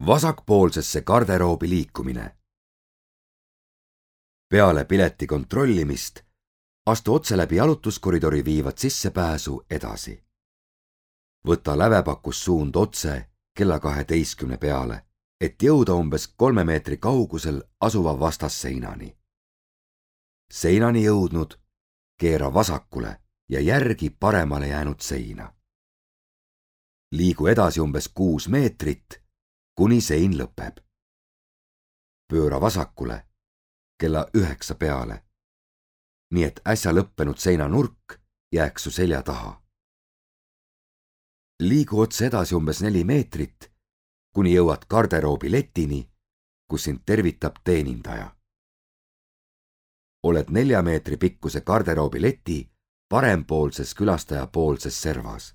Vasakpoolsesse garderoobi liikumine. Peale pileti kontrollimist astu otse läbi jalutuskoridori viivat sissepääsu edasi. Võta lävepakus suund otse kella 12 peale, et jõuda umbes 3 meetri kaugusel asuva vastasseinani. Seinani jõudnud, keera vasakule ja järgi paremale jäänud seina. Liigu edasi umbes 6 meetrit, kuni sein lõpeb. Pööra vasakule kella 9 peale, nii et äsja lõppenud seinanurk jääks su selja taha. Liigu otse edasi umbes 4 meetrit, kuni jõuad garderoobi letini, kus sind tervitab teenindaja. Oled 4 meetri pikkuse garderoobi leti parempoolses külastajapoolses servas.